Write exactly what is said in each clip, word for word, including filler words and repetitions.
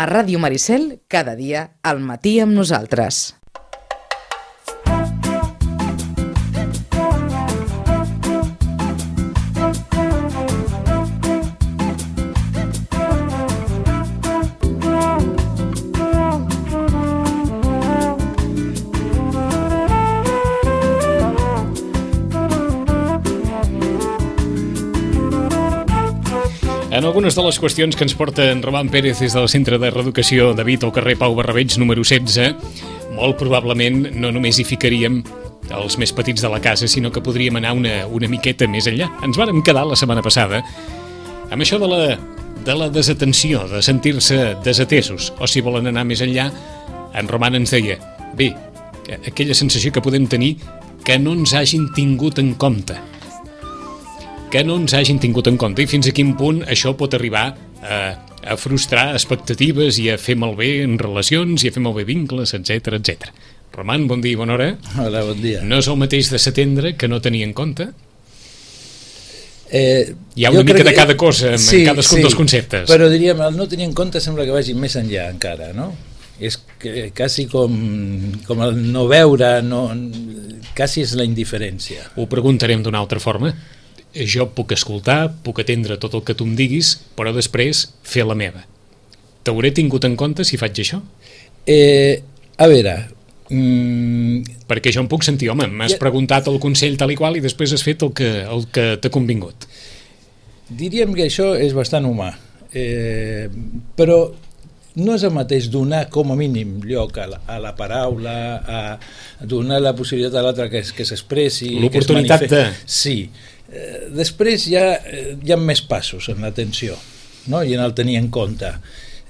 A Ràdio Maricel, cada dia, al matí amb nosaltres. En algunes de les qüestions que ens porta en Roman Pérez des del Centre de Reeducació David al carrer Pau Barrabeig número setze, molt probablement no només hi ficaríem els més petits de la casa, sinó que podríem anar una, una miqueta més enllà. Ens vàrem quedar la setmana passada amb això de la, de la desatenció, de sentir-se desatesos, o si volen anar més enllà, en Roman ens deia, bé, aquella sensació que podem tenir que no ens hagin tingut en compte. que no ens hagin tingut en compte i fins a quin punt això pot arribar a, a frustrar expectatives i a fer malbé en relacions i a fer malbé vincles, etcètera, etcètera. Roman, bon dia i bona hora. Hola, bon dia. No és el mateix de setembre que no tenir en compte? Eh, Hi ha una mica de cada cosa en sí, cadascun sí, dels conceptes. Però diríem, el no tenir en compte sembla que vagi més enllà encara, no? És que, quasi com, com el no veure, no, quasi és la indiferència. Ho preguntarem d'una altra forma. Jo puc escoltar, puc atendre tot el que tu em diguis, però després fer la meva. T'hauré tingut en compte si faig això? Eh, a veure... Mm, perquè jo em puc sentir, home, m'has ja, preguntat el consell tal i qual i després has fet el que, el que t'ha convingut. Diríem que això és bastant humà, eh, però no és el mateix donar com a mínim lloc a la, a la paraula, a donar la possibilitat a l'altre que, que s'expressi, l'oportunitat que es de... Sí. Eh, després hi ha, hi ha més passos en l'atenció, no? I en el tenir en compte.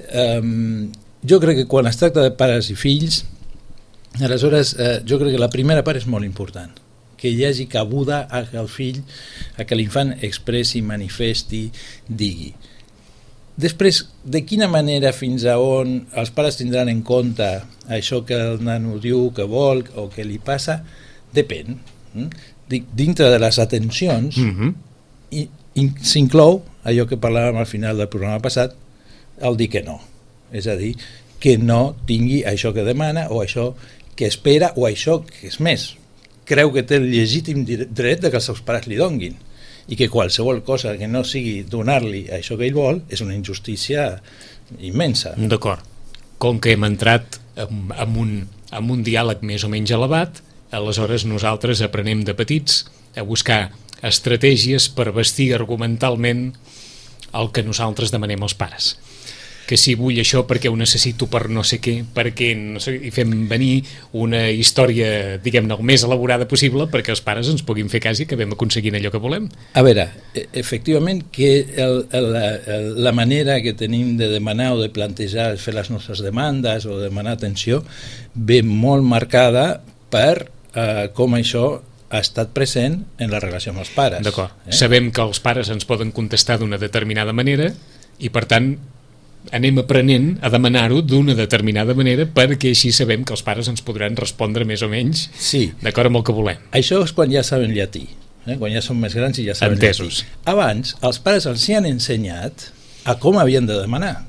Eh, jo crec que quan es tracta de pares i fills, aleshores eh, jo crec que la primera part és molt important, que hi hagi cabuda a que el fill, a que l'infant expressi, manifesti, digui. Després, de quina manera fins a on els pares tindran en compte això que el nano diu que vol o que li passa, depèn. Dintre de les atencions mm-hmm. i, i s'inclou allò que parlàvem al final del programa passat, el dir que no. És a dir, que no tingui això que demana o això que espera o això que és més. Creu que té el legítim dret de que els seus pares li donguin i que qualsevol cosa que no sigui donar-li això que ell vol és una injustícia immensa. D'acord. Com que hem entrat amb, amb, un, amb un diàleg més o menys elevat, aleshores nosaltres aprenem de petits a buscar estratègies per vestir argumentalment el que nosaltres demanem als pares. Que si vull això perquè ho necessito per no sé què, perquè no sé, i fem venir una història, diguem-ne, el més elaborada possible perquè els pares ens puguin fer cas i acabem aconseguint allò que volem. A veure, efectivament que el, el, el, la manera que tenim de demanar o de plantejar, fer les nostres demandes o demanar atenció ve molt marcada per eh, com això ha estat present en la relació amb els pares. D'acord. Eh? Sabem que els pares ens poden contestar d'una determinada manera i per tant anem aprenent a demanar-ho d'una determinada manera perquè així sabem que els pares ens podran respondre més o menys sí. d'acord amb el que volem. Això és quan ja saben llatí, eh? Quan ja són més grans i ja saben Entesos. llatí. Abans, els pares els hi han ensenyat a com havien de demanar.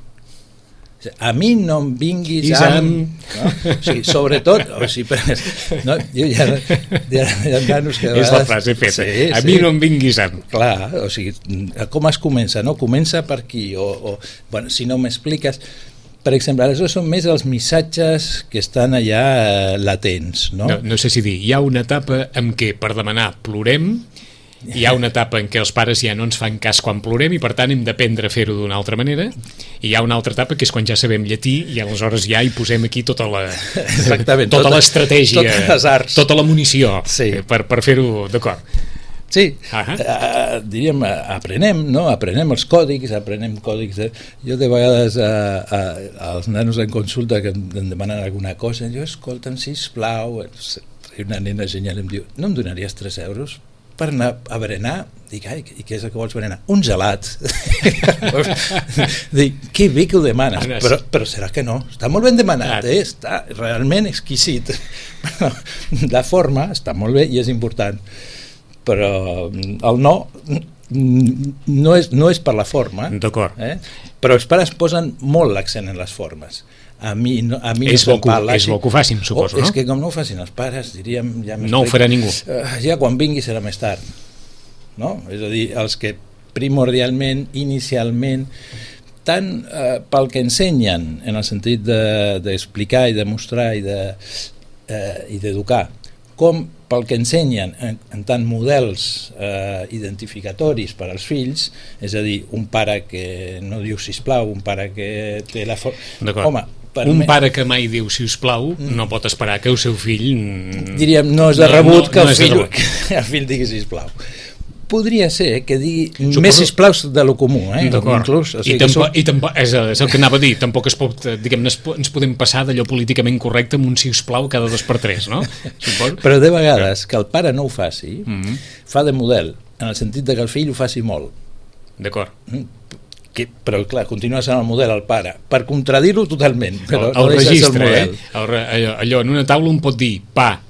A mi no em vinguis amb... No? O sigui, sobretot... O sigui, no? Jo ja, ja, ja nanos que vegades... És la frase feta. Sí, a sí. mi no em vinguis amb... Clar, o sigui, com es comença? No? Comença per aquí. O, o, bueno, si no m'expliques... Per exemple, aleshores són més els missatges que estan allà latents. No? No, no sé si dir, hi ha una etapa en què per demanar plorem, hi ha una etapa en què els pares ja no ens fan cas quan plorem i per tant hem d'aprendre a fer-ho d'una altra manera, i hi ha una altra etapa que és quan ja sabem llatí i aleshores ja hi posem aquí tota la Exactament, tota, tota l'estratègia, tota la munició sí. per, per fer-ho d'acord. Sí, uh-huh. uh, diríem, aprenem, no? Aprenem els còdics, aprenem còdics. De... Jo de vegades uh, uh, als nanos en consulta que em demanen alguna cosa, jo, escolta'm, sisplau, una nena genial em diu, no em donaries tres euros per anar a berenar? Dic, ai, i què és el que vols berenar? Un gelat. Dic, que bé que ho demanes, però, però serà que no, està molt ben demanat, eh? Està realment exquisit. La forma està molt bé i és important, però el no no és, no és per la forma, d'acord, eh? Però els pares posen molt l'accent en les formes. A mi no, a mi és, no bo que, parla, és bo que ho facin, suposo, oh, no? És que com no ho facin els pares, diríem... Ja no ho farà ningú. Uh, ja quan vingui serà més tard. No? És a dir, els que primordialment, inicialment, tant eh, pel que ensenyen, en el sentit d'explicar de, i de mostrar i de, eh, i d'educar, com pel que ensenyen en, en tant models eh, identificatoris per als fills, és a dir, un pare que no diu sisplau, un pare que té la forma... Home, un pare que mai diu sisplau mm. no pot esperar que el seu fill... Diríem, no és de rebut no, no, que, el no fill, que el fill digui sisplau. Podria ser que digui Suposo... més sisplau de lo comú, eh? Inclús, o sigui I, tampoc, som... i tampoc, és, és el que anava a dir, tampoc es pot, diguem, ens podem passar d'allò políticament correcte amb un sisplau cada dos per tres, no? Suposo? Però de vegades que el pare no ho faci, mm-hmm. fa de model, en el sentit de que el fill ho faci molt. D'acord. Que, però clar, continua sent el model el pare, per contradir-ho totalment, però el, el no deixa registre, ser el model. Eh? El, allò, allò, en una taula un pot dir pa,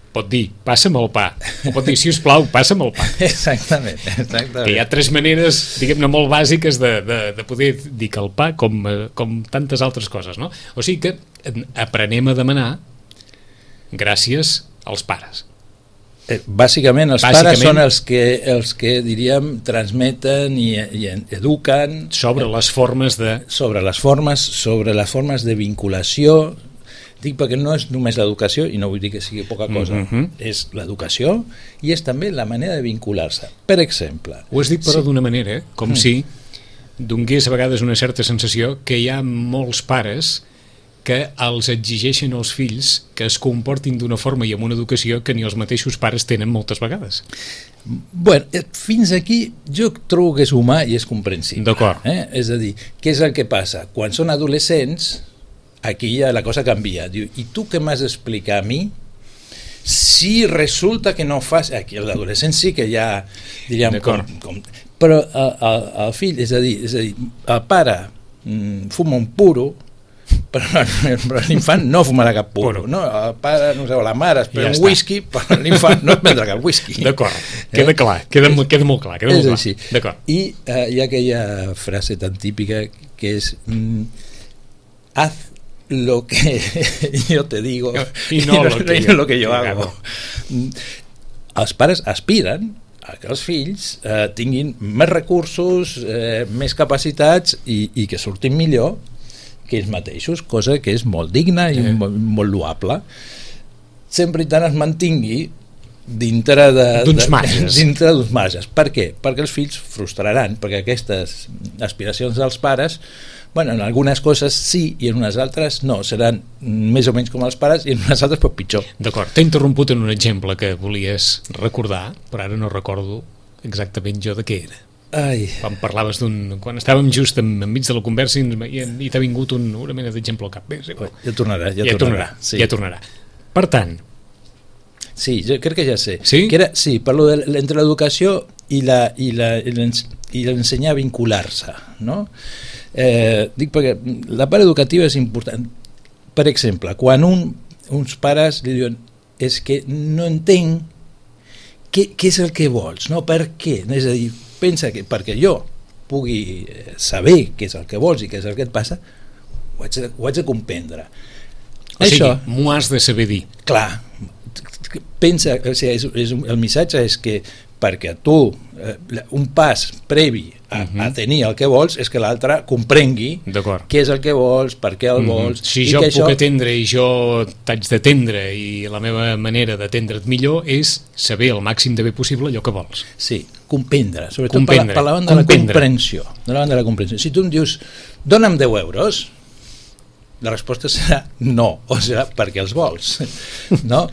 pot dir, passa'm el pa, o pot dir, sisplau, passa'm el pa. Exactament, exactament. Que hi ha tres maneres, diguem-ne, molt bàsiques de, de, de poder dir que el pa, com, com tantes altres coses, no? O sigui que aprenem a demanar gràcies als pares. Eh, bàsicament, els bàsicament, pares són els que, els que diríem, transmeten i, i eduquen... Sobre les formes de... Sobre les formes, sobre les formes de vinculació. Dic perquè no és només l'educació, i no vull dir que sigui poca cosa, mm-hmm. és l'educació i és també la manera de vincular-se. Per exemple... Ho has dit però sí. d'una manera, com mm. si donés a vegades una certa sensació que hi ha molts pares que els exigeixen als fills que es comportin d'una forma i amb una educació que ni els mateixos pares tenen moltes vegades. Bueno, fins aquí jo trobo que és humà i és comprensible. D'acord. Eh? És a dir, què és el que passa? Quan són adolescents... Aquí ja la cosa canvia. Diu, i tu què m'has d'explicar a mi si resulta que no fas... Aquí l'adolescent sí que ja diríem com, com... Però el, el, el fill, és a dir, és a dir el pare mm, fuma un puro, però, però l'infant no fumarà cap puro, no? El pare, no sé, la mare es pren ja un està. Whisky, però l'infant no es prendrà cap whisky. D'acord, queda clar, queda, queda molt clar, queda molt clar. D'acord. I eh, hi ha aquella frase tan típica que és mm, haz lo que yo te digo i no, no, lo, que no lo que yo hago. Els pares aspiren a que els fills eh, tinguin més recursos, eh, més capacitats i, i que surtin millor que ells mateixos, cosa que és molt digna i eh. molt, molt loable, sempre i tant es mantingui dintre d'uns marges. Dintre d'uns marges. Per què? Perquè els fills frustraran, perquè aquestes aspiracions dels pares, bueno, en algunes coses sí i en unes altres no, seran més o menys com els pares i en unes altres però pitjor. D'acord, t'he interromput en un exemple que volies recordar, però ara no recordo exactament jo de què era. Ai. Quan parlaves d'un... Quan estàvem just en, enmig de la conversa i, i, i t'ha vingut un, una mena d'exemple al cap. Bé, sí, ja tornarà, ja, ja tornarà. tornarà sí. Ja tornarà. Per tant... Sí, jo crec que ja sé. Sí? Que era, sí, parlo de, entre l'educació i l'ensenyar a vincular-se, no? Eh, dic perquè la part educativa és important. Per exemple, quan un, uns pares li diuen és que no entenc què, què és el que vols, no? Per què? És a dir, pensa que perquè jo pugui saber què és el que vols i què és el que et passa, ho haig de, ho haig de comprendre. O sigui, m'ho has de saber dir. Clar, pensa, o sigui, és, és, el missatge és que perquè tu, eh, un pas previ a, uh-huh. a tenir el que vols és que l'altre comprengui què és el que vols, per què el uh-huh. vols. Si jo puc això... atendre i jo t'haig d'atendre i la meva manera d'atendre't millor és saber el màxim de bé possible allò que vols. Sí, comprendre, sobretot comprendre. Per, la, per la banda de la comprensió. De la banda de la comprensió. Si tu em dius, dona'm deu euros, la resposta serà no, o serà perquè els vols, no?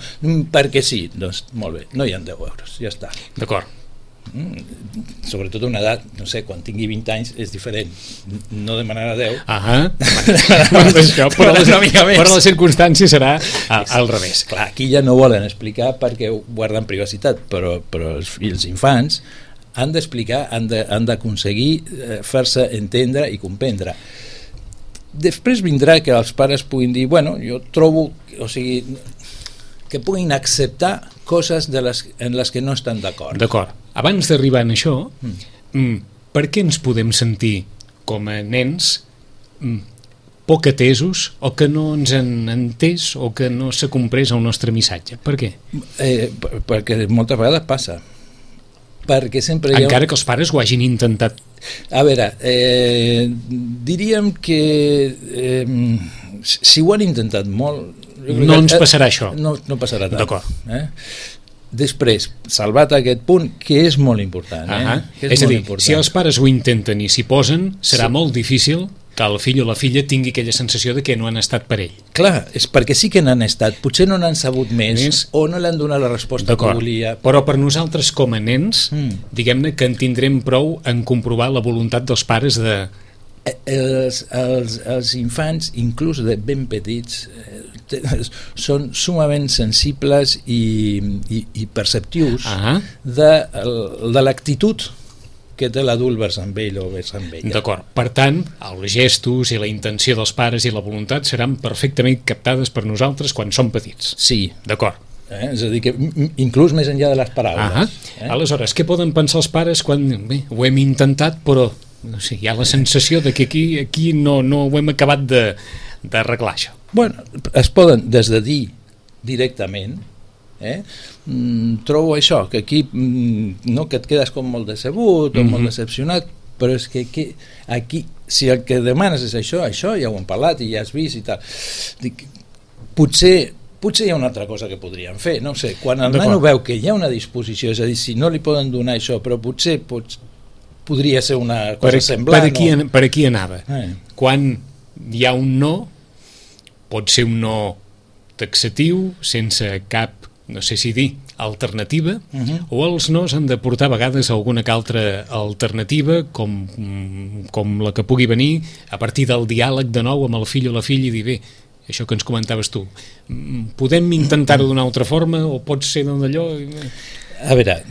Perquè sí, doncs molt bé, no hi ha deu euros, ja està. D'acord. Mm, sobretot a una edat, no sé, quan tingui vint anys és diferent, no demanarà deu. Ahà, això, però, les, però la circumstància serà a, al revés. Clar, aquí ja no volen explicar perquè guarden privacitat, però, però els, els infants han d'explicar, han d'aconseguir eh, fer-se entendre i comprendre. Després vindrà que els pares puguin dir, bueno, jo trobo, o sigui, que puguin acceptar coses de les, en les que no estan d'acord. D'acord. abans d'arribar a això, mm. per què ens podem sentir com a nens mm, poc atesos o que no ens han entès o que no s'ha comprès el nostre missatge? Per què? Eh, perquè moltes vegades passa. Perquè sempre hi ha... Encara que els pares ho hagin intentat. A veure, eh, diríem que eh, si ho han intentat molt... No ens passarà això. No, no passarà tant. D'acord. Eh? Després, salvat aquest punt, que és molt important. Eh? Uh-huh. Que és és a molt dir, important. si els pares ho intenten i s'hi posen, serà Sí. molt difícil que el fill o la filla tingui aquella sensació de que no han estat per ell. Clar, és perquè sí que n'han estat, potser no n'han sabut més, Més. o no l'han donat la resposta que volia. Però per nosaltres com a nens, Mm. diguem-ne que en tindrem prou en comprovar la voluntat dels pares de... Els, els, els infants, inclús de ben petits, eh, te- són sumament sensibles i, i, i perceptius Ah, de, el- de l'actitud que té l'adult vers amb ell o vers amb ella. d'acord. Per tant, els gestos i la intenció dels pares i la voluntat seran perfectament captades per nosaltres quan som petits. Sí, D'acord. eh? És a dir, que m- inclús més enllà de les paraules. Ah, eh? aleshores, què poden pensar els pares quan bé, ho hem intentat però no sé, hi ha la sensació de que aquí, aquí no, no ho hem acabat de- d'arreglar això? Bueno, es poden des de dir directament, eh? mm, trobo això, que aquí mm, no, que et quedes com molt decebut o Mhm. molt decepcionat, però és que aquí, aquí, si el que demanes és això, això ja ho hem parlat i ja has vist i tal. Dic, potser, potser hi ha una altra cosa que podríem fer, no ho sé, quan el D'acord. nano veu que hi ha una disposició, és a dir, si no li poden donar això, però potser pots, podria ser una cosa Per, semblant. per, aquí, o... an- per aquí anava. Eh. Quan hi ha un no, pot ser un no taxatiu, sense cap, no sé si dir, alternativa, Mhm. o els nos han de portar a vegades alguna que altra alternativa, com, com la que pugui venir a partir del diàleg de nou amb el fill o la filla i dir, bé, això que ens comentaves tu, mm, podem intentar-ho d'una altra forma o pot ser d'allò... A veure,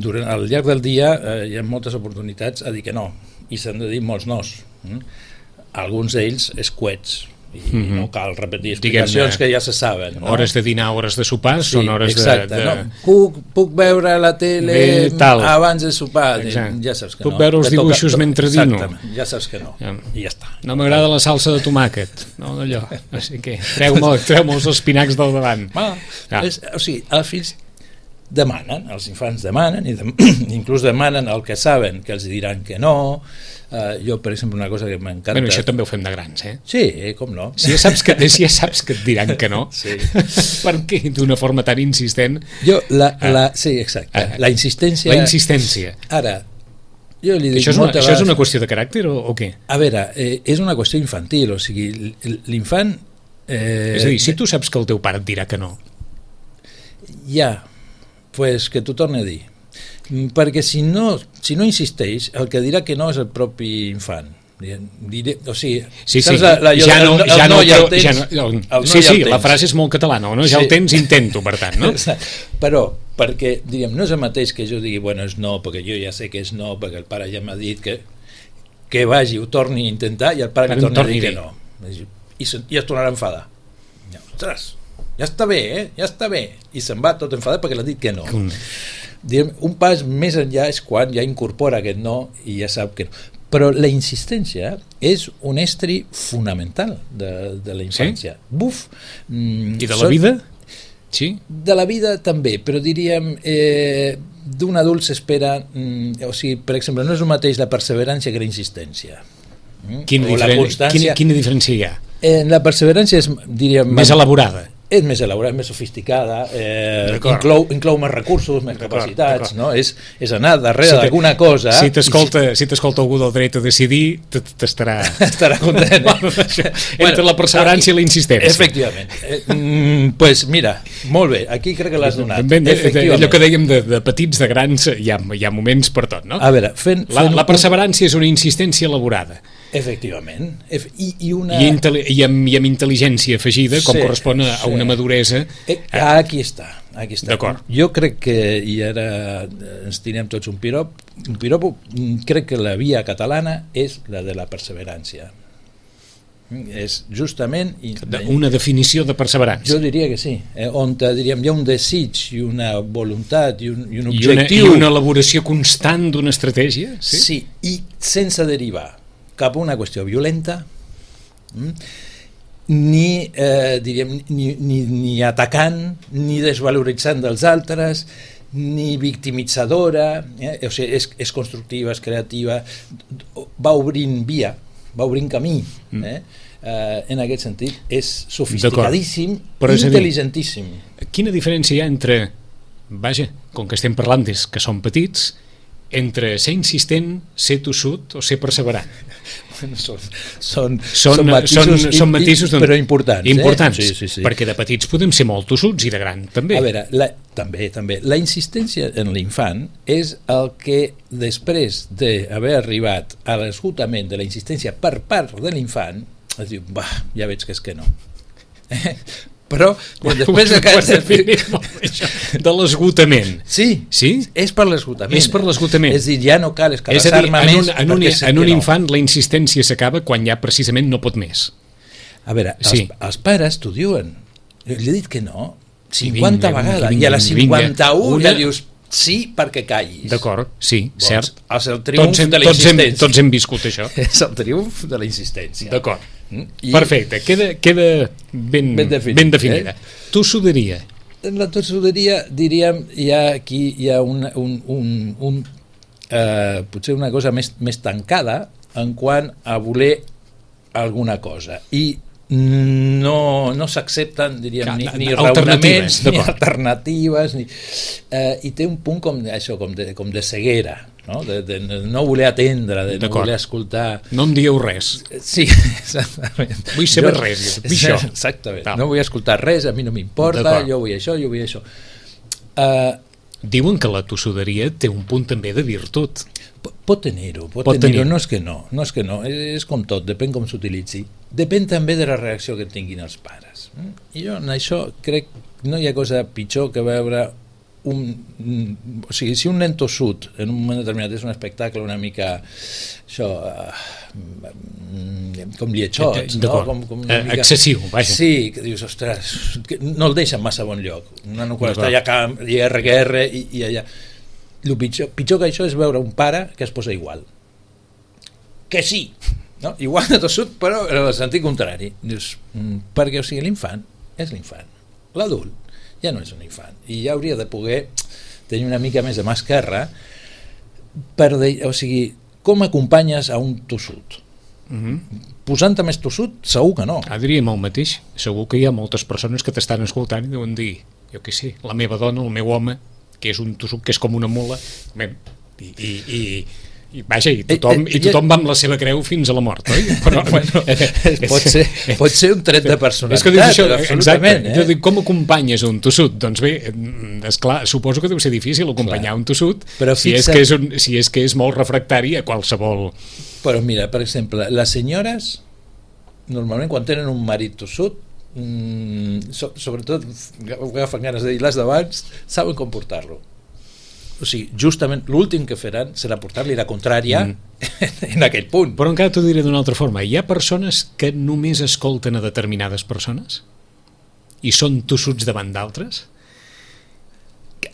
durant al llarg del dia eh, hi ha moltes oportunitats a dir que no, i s'han de dir molts nos. Mm? Alguns d'ells escuets, i Mhm. no cal repetir explicacions Diguem-ne, que ja se saben. No? Hores de dinar, hores de sopar, Sí, són hores exacte, de... de... No, puc, puc veure la tele Bé, tal. abans de sopar. Exacte. Ja saps que Puc no. veure els Que toca- dibuixos mentre dino. Exactament, ja saps que no. Ja. I ja està. No m'agrada la salsa de tomàquet, no d'allò, no sé què, treu-me treu els espinacs del davant. Ah, Ah. és, o sigui, els fills demanen, els infants demanen, i dem inclús demanen el que saben, que els diran que no. Uh, jo, per exemple, una cosa que m'encanta... Bueno, això també ho fem de grans, eh? Sí, eh, com no? Si ja saps que, si ja saps que et diran que no, Sí. per què d'una forma tan insistent? Jo, la, Ah. la, sí, exacte, Ah. la insistència... La insistència. Ara, jo li dic Això és, una, moltes això és vegades- una qüestió de caràcter o, o què? A veure, eh, és una qüestió infantil, o sigui, l'infant... Eh, És a dir, si tu saps que el teu pare et dirà que no, Ja, pues que t'ho torni a dir. Mm, Perquè si no, si no insisteix, el que dirà que no és el propi infant. Diré, o sigui, sí, sí, saps la, la, ja no, el, el ja no, no ja el però- tens, ja no, el no sí, ja el sí, la tens. frase és molt catalana, no? Ja Sí. el tens, intento, per tant, no? Però, perquè, diríem, no és el mateix que jo digui, bueno, és no, perquè jo ja sé que és no, perquè el pare ja m'ha dit que, que vagi, ho torni a intentar, i el pare li Em torni a torni dir a que dir. no. I, se- i es tornarà a enfadar. Ja, ostres, ja està bé, eh? Ja està bé. I se'n va tot enfadat perquè l'ha dit que no. Mm. Diguem, un pas més enllà és quan ja incorpora aquest no i ja sap que no. Però la insistència és un estri fonamental de, de la infància. Sí? Buf! Mm, I de la són- vida? Sí? De la vida també, però diríem eh, d'un adult s'espera, mm, o sigui, per exemple, no és el mateix la perseverància que la insistència. Mm? Quina, O la diferen... constància. quina, quina diferència hi ha? Eh, la perseverància és, diríem... Més elaborada. És més elaborada, més sofisticada, eh, D'acord. inclou, inclou més recursos, més D'acord, capacitats, d'acord. no? És, és anar darrere Si te- d'alguna cosa... Si i t'escolta si t'escolta algú del dret a decidir, t- t'estarà... estarà content. Bueno, això, entre la perseverància i la insistència. Efectivament. Eh, mm, pues mira, molt bé, aquí crec que l'has donat. Ben, de, de, Efectivament. allò que dèiem de, de petits, de grans, hi ha, hi ha moments per tot, no? A veure, fent... La, fent la un- perseverància és una insistència elaborada Efectivament. Ef i, i una... i, intel·li i, amb, i amb intel·ligència afegida, com Sí, correspon a, a sí. una maduresa. Eh, aquí està, aquí està. D'acord. Jo crec que, i ara ens tirem tots un pirop, un piropo, crec que la via catalana és la de la perseverància. És justament... Una definició de perseverança. Jo diria que sí, eh, on diríem, hi ha un desig i una voluntat i un, i un I una, objectiu. I una elaboració constant d'una estratègia. Sí? Sí, i sense derivar cap a una qüestió violenta, mm, ni, eh, diríem, ni, ni, ni atacant, ni desvaloritzant dels altres, ni victimitzadora, eh? O sigui, és, és constructiva, és creativa, va obrint via, va obrint camí, eh? Uh, en aquest sentit és sofisticadíssim i intel·ligentíssim. Quina diferència hi ha entre, vaja, com que estem parlant des que som petits, entre ser insistent, ser tossut o ser perseverant? Bueno, són, són, són, són matisos, són, són matisos i, però importants, importants eh? sí, sí, sí. Perquè de petits podem ser molt tossuts i de gran també. A veure, la, també, també. La insistència en l'infant és el que després d'haver arribat a l'esgotament de la insistència per part de l'infant es diu, bah, ja veig que és que no. Però bueno, després de l'esgotament. Sí, sí, és per l'esgotament. És per l'esgotament. És a dir, ja no cal escarassar-me més. En un, en un infant la insistència s'acaba quan ja precisament no pot més. A veure, sí. els, els pares t'ho diuen. Jo li he dit que no cinquanta vinga, vegades vinga, i a la cinquanta-una ja dius sí perquè callis. D'acord, sí, doncs, cert. És el triomf tots hem, de la insistència. Tots hem, tots hem viscut això. És el triomf de la insistència. D'acord. I perfecte, queda, queda ben, ben, definit, ben definida. Eh? Tossuderia. En la tossuderia, diríem, hi ha aquí hi ha un, un, un, un eh, potser una cosa més, més tancada en quant a voler alguna cosa. I no, no s'accepten, diríem, ni, ni raonaments, ni alternatives, ni, eh, i té un punt com això, com de, com de ceguera, no? De, de no voler atendre, de no voler escoltar. No em dieu res. Sí, exactament. Vull saber jo, res, vull això. Exactament. Tal. No vull escoltar res, a mi no m'importa, jo vull això, jo vull això. Uh, Diuen que la tossuderia té un punt també de virtut. Pot tenir-ho, pot, pot tenir-ho, no és que no, no és que no, és com tot, depèn com s'utilitzi. Depèn també de la reacció que tinguin els pares. I jo en això crec que no hi ha cosa pitjor que veure un, o sigui, si un nen tossut en un moment determinat és un espectacle una mica això uh, com lietxots, no? Com, com una mica, excessiu, vaja. Sí, que dius, ostres, que no el deixen massa bon lloc. Un nano quan està allà camp, i erra que erra i, i allà. El pitjor, pitjor que això és veure un pare que es posa igual. Que sí, no? Igual de tossut, però en el sentit contrari. Dius, perquè, o sigui, l'infant és l'infant. L'adult ja no és un infant i ja hauria de poder tenir una mica més de mà esquerra per de, o sigui, com acompanyes a un tossut? Mm-hmm. Posant-te més tossut? Segur que no. Ah, diríem el mateix. Segur que hi ha moltes persones que t'estan escoltant i deuen dir, jo què sé, la meva dona, el meu home, que és un tossut que és com una mula, i, i, i, i vaja, i tothom, eh, eh, i tothom va amb la seva creu fins a la mort, oi? Però, bueno, pot, ser, pot ser un tret de personalitat, és que dius això, absolutament. Exacte, eh? Com acompanyes un tossut? Doncs bé, esclar, suposo que deu ser difícil acompanyar clar. Un tossut però si, fixa... és que és un, si és que és molt refractari a qualsevol... Però mira, per exemple, les senyores, normalment quan tenen un marit tossut, mm, so, sobretot agafen ganes de dir les d'abans, saben com portar-lo. O sigui, justament l'últim que faran serà portar-li la contrària mm. en aquell punt. Però encara t'ho diré d'una altra forma. Hi ha persones que només escolten a determinades persones i són tossuts davant d'altres?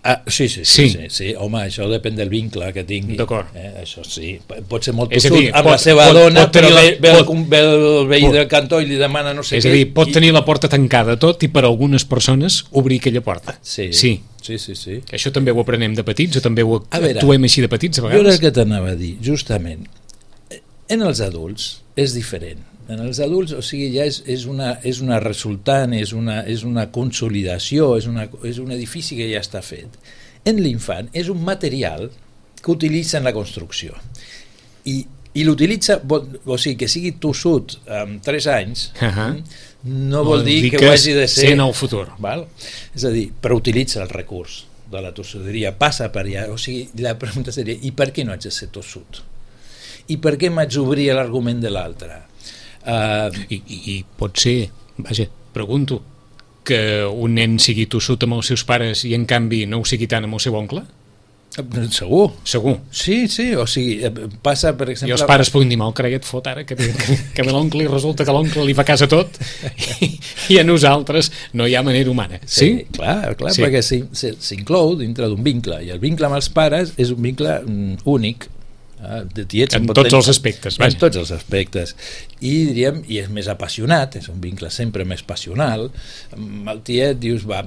Ah, sí, sí, sí, sí. sí, sí. Home, això depèn del vincle que tingui. D'acord. Eh, això sí, pot ser molt tossut dir, amb pot, la seva pot, dona, pot però la, ve, ve, pot, el, ve el veí pot, del cantó i li demana no sé és què. És a dir, pot i, tenir la porta tancada tot i per a algunes persones obrir aquella porta. Sí, sí. sí, sí, sí. Això també ho aprenem de petits o també ho veure, actuem així de petits a vegades? Jo era el que t'anava a dir, justament. En els adults és diferent. En els adults, o sigui, ja és, és, una, és una resultant, és una, és una consolidació, és, una, és un edifici que ja està fet. En l'infant és un material que utilitza en la construcció i, i l'utilitza, o sigui, que sigui tossut amb tres anys, uh-huh. no vol dir, dir que, que ho hagi de ser en el futur, val? És a dir, però utilitza el recurs de la tossuderia, passa per allà, o sigui, la pregunta seria, i per què no haig de ser tossut? I per què m'haig d'obrir l'argument de l'altre? Uh, I, i, I pot ser, vaja, pregunto, que un nen sigui tossut amb els seus pares i en canvi no ho sigui tant amb el seu oncle? Segur. Segur. Sí, sí, o sigui, passa, per exemple... I els pares puguin dir, mal creia et fot ara, que, que, que ve l'oncle i resulta que l'oncle li fa cas a tot i, i a nosaltres no hi ha manera humana. Sí? Sí, clar, clar sí. Perquè s'inclou dintre d'un vincle, i el vincle amb els pares és un vincle mm, únic, eh, de tiets, en tots els aspectes. En tots els aspectes. I diríem, i és més apassionat, és un vincle sempre més passional. Amb el tiet dius, va...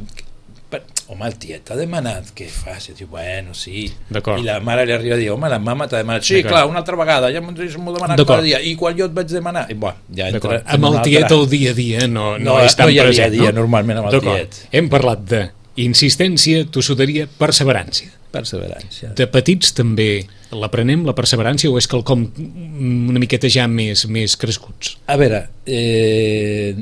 home, el tiet t'ha demanat què fas, i diu, bueno, sí, i la mare li arriba a dir, home, la mama t'ha demanat, sí, clar, una altra vegada, ja m'ho demanat cada dia, i quan jo et vaig demanar, i bueno, ja entra amb el tiet el dia a dia no, no, no és tan no hi ha present, dia a dia, no? Normalment amb el tiet. Hem parlat de insistència, tossuderia, perseverància. Perseverància. De petits també l'aprenem, la perseverància, o és quelcom una miqueta ja més, més crescuts? A veure, eh,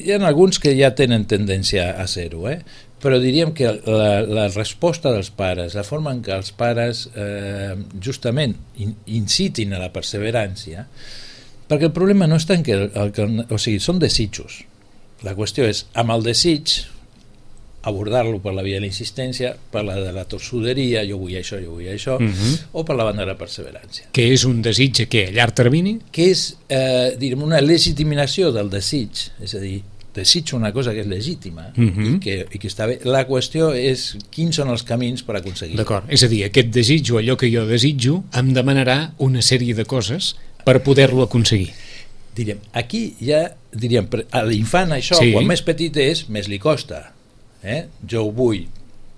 hi ha alguns que ja tenen tendència a ser-ho, eh? Però diríem que la, la resposta dels pares, la forma en què els pares eh, justament in, incitin a la perseverància, perquè el problema no està en que, el, el, o sigui, són desitjos. La qüestió és, amb el desig, abordar-lo per la via de la insistència, per la de la tossuderia, jo vull això, jo vull això, uh-huh. o per la banda de la perseverància. Que és un desig que a llarg termini? Que és, eh, diríem, una legitimació del desig, és a dir, desitjo una cosa que és legítima uh-huh. i, que, i que està bé. La qüestió és quins són els camins per aconseguir-ho. D'acord, és a dir, aquest desig o allò que jo desitjo em demanarà una sèrie de coses per poder-lo aconseguir. Diríem, aquí ja, diríem, a l'infant això, sí. Quan més petit és, més li costa. Eh? Jo ho vull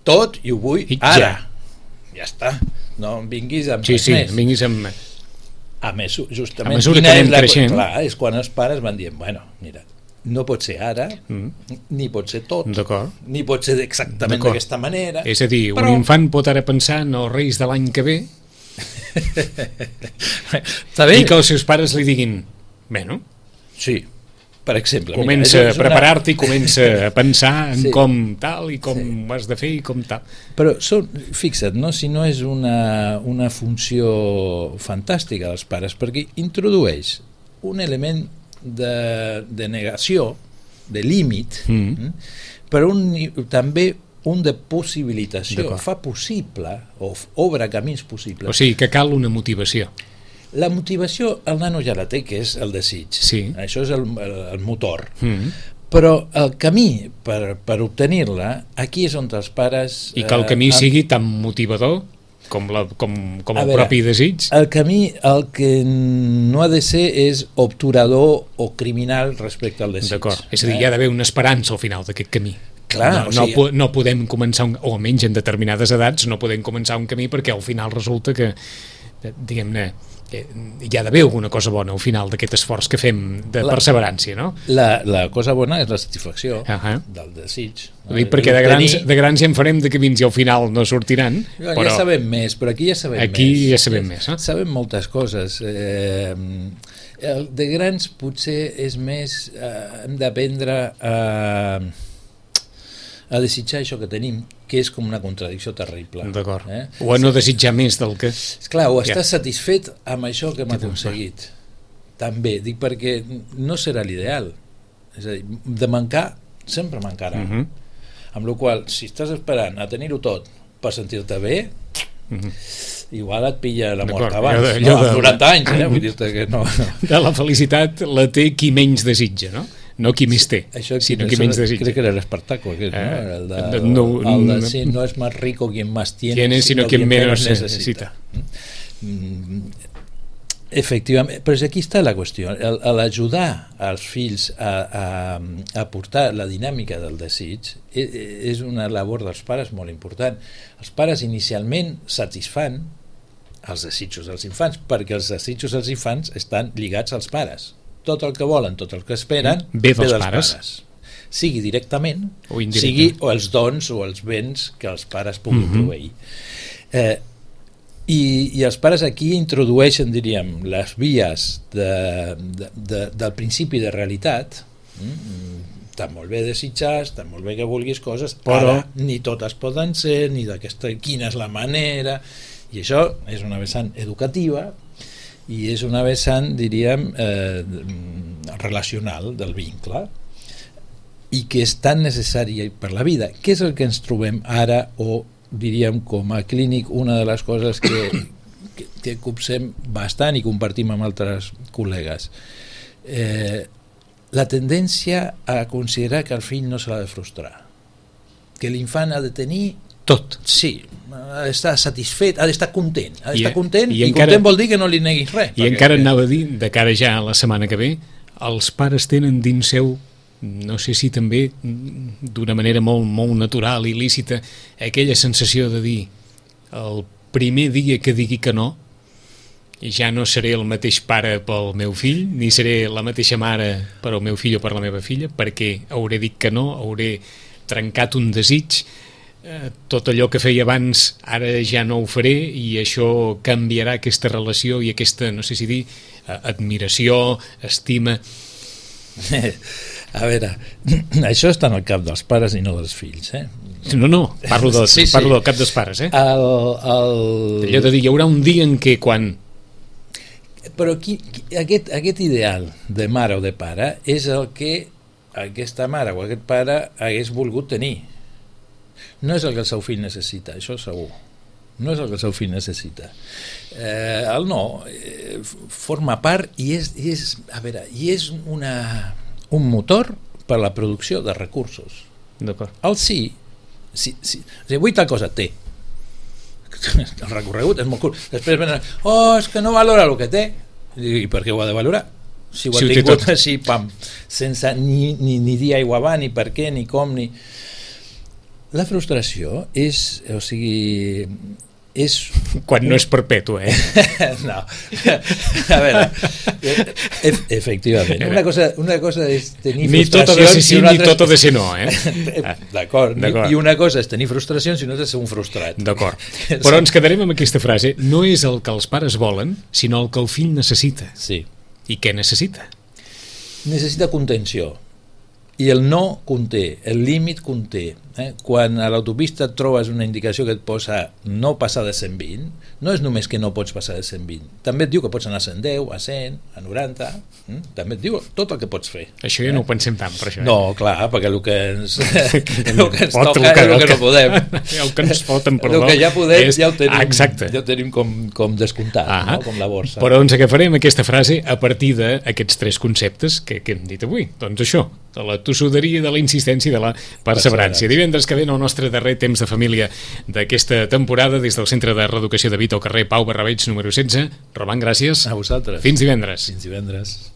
tot i ho vull I ara. Ja. ja està. No em vinguis amb sí, res sí, més. Em vinguis amb... A més, justament, a mesura que anem creixent. Clar, és quan els pares van dient, bueno, mira, no pot ser ara, mm. ni pot ser tot, ni pot ser exactament d'aquesta manera. És a dir, però... un infant pot ara pensar en els Reis de l'any que ve i que els seus pares li diguin, bueno, sí, per exemple, comença mira, a preparar-te i comença a pensar en sí. com tal i com sí. ho has de fer i com tal. Però són, fixa't, no? Si no és una, una funció fantàstica dels pares, perquè introdueix un element De, de negació, de límit, mm. però un, també un de possibilitació. Fa possible, o obre camins possibles. O sigui, que cal una motivació. La motivació el nano ja la té, que és el desig. Sí. Això és el, el, el motor. Mm. Però el camí per, per obtenir-la, aquí és on els pares... I que el camí eh, sigui tan motivador com, la, com, com el veure, propi desig. El camí, el que no ha de ser és obturador o criminal respecte al desig. D'acord, és a dir, eh? Hi ha d'haver una esperança al final d'aquest camí. Clar, no, no, o sigui, no podem començar, un, o almenys en determinades edats, no podem començar un camí perquè al final resulta que, diguem-ne, hi ha d'haver alguna cosa bona al final d'aquest esforç que fem de la, perseverància, no? La, la cosa bona és la satisfacció uh-huh. del desig. No? Dic, perquè de grans, de grans ja en farem de camins i al final no sortiran. Ja, però ja sabem més, però aquí ja sabem aquí més. Aquí ja sabem més. Eh? Sabem moltes coses. Eh, el de grans potser és més... Eh, hem d'aprendre a... a desitjar això que tenim, que és com una contradicció terrible. D'acord. Eh? O a no desitjar més del que... Esclar, o estàs ja. satisfet amb això que hem aconseguit. També, dic perquè no serà l'ideal. És a dir, de mancar, sempre mancarà. Uh-huh. Amb la qual cosa, si estàs esperant a tenir-ho tot per sentir-te bé, uh-huh. igual et pilla la mort abans. De, no, amb de, noranta anys, eh? Vull dir-te que no, no. De la felicitat la té qui menys desitja, no? No qui més té, això, sinó qui menys desitja. Crec que era l'Espartaco, aquest, eh? no? El de, no, el de sí, no és més rico quien más tiene, tiene sino, sino quien, quien menos necesita. necesita. Mm, efectivament, però aquí està la qüestió. L'ajudar als fills a, a, a portar la dinàmica del desig és una labor dels pares molt important. Els pares inicialment satisfan els desitjos dels infants, perquè els desitjos dels infants estan lligats als pares. Tot el que volen, tot el que esperen, ve dels, dels pares. pares. Sigui directament, o sigui o els dons o els béns que els pares puguin uh-huh. proveir. Eh, i, I els pares aquí introdueixen, diríem, les vies de, de, de, del principi de realitat. Mm, està molt bé desitjar, està molt bé que vulguis coses, però ara ni totes poden ser, ni d'aquesta, quina és la manera, i això és una vessant educativa, i és una vessant, diríem, eh, relacional del vincle, i que és tan necessària per la vida. Què és el que ens trobem ara, o diríem, com a clínic, una de les coses que, que, que copsem bastant i compartim amb altres col·legues. Eh, la tendència a considerar que el fill no se l'ha de frustrar, que l'infant ha de tenir tot. Sí, ha d'estar satisfet, ha d'estar content, ha d'estar I, content, i, i, i encara, content vol dir que no li neguis res. I perquè, encara anava a dir, de cara ja a la setmana que ve, els pares tenen dins seu, no sé si també d'una manera molt, molt natural i lícita, aquella sensació de dir el primer dia que digui que no, ja no seré el mateix pare pel meu fill, ni seré la mateixa mare per al meu fill o per la meva filla, perquè hauré dit que no, hauré trencat un desig, eh, tot allò que feia abans ara ja no ho faré, i això canviarà aquesta relació i aquesta, no sé si dir, admiració, estima. A veure, això està en el cap dels pares i no dels fills, eh? No, no, parlo, de, sí, sí. parlo del cap dels pares, eh? El, el... Allò de dir, hi haurà un dia en què quan... Però qui, qui, aquest, aquest ideal de mare o de pare és el que aquesta mare o aquest pare hagués volgut tenir. No és el que el seu fill necessita, això segur. No és el que el seu fill necessita. Eh, el no eh, forma part i és, i és, a veure, i és una, un motor per a la producció de recursos. D'acord. El sí, sí, sí. O sigui, vull tal cosa, té. El recorregut és molt curt. Després venen, oh, és que no valora el que té. I per què ho ha de valorar? Si ho ha Si ho té tingut tot. així, pam, sense ni, ni, ni dir aigua va, ni per què, ni com, ni... La frustració és, o sigui, és... Quan no és perpètua, eh? No, a veure, e efectivament, una cosa, una cosa és tenir ni tot ha de ser sí, ni tot ha de ser no, eh? D'acord, i una cosa és tenir frustracions i una altra és ser un frustrat. D'acord, però ens quedarem amb aquesta frase, no és el que els pares volen, sinó el que el fill necessita. Sí. I què necessita? Necessita contenció. I el no conté, el límit conté. Eh? Quan a l'autopista et trobes una indicació que et posa no passar de cent vint, no és només que no pots passar de cent vint, també et diu que pots anar a cent deu, a cent, a noranta, eh? També et diu tot el que pots fer. Això ja eh? no ho pensem tant, per això. Eh? No, clar, perquè el que ens, el que ens Pot, toca el que, és el que, el que no podem. El que ens foten, perdó. El que ja podem, és... ja ho tenim, Exacte. ja ho tenim com, com descomptat, ah, no? Com la borsa. Però ens agafarem aquesta frase a partir d'aquests tres conceptes que, que hem dit avui. Doncs això, de la tossuderia, de la insistència i de la perseverància. Divendres que ve el nostre darrer temps de família d'aquesta temporada des del Centre de Reeducació de Vita al carrer Pau Barrabeig número setze. Roman, gràcies. A vosaltres. Fins divendres. Fins divendres.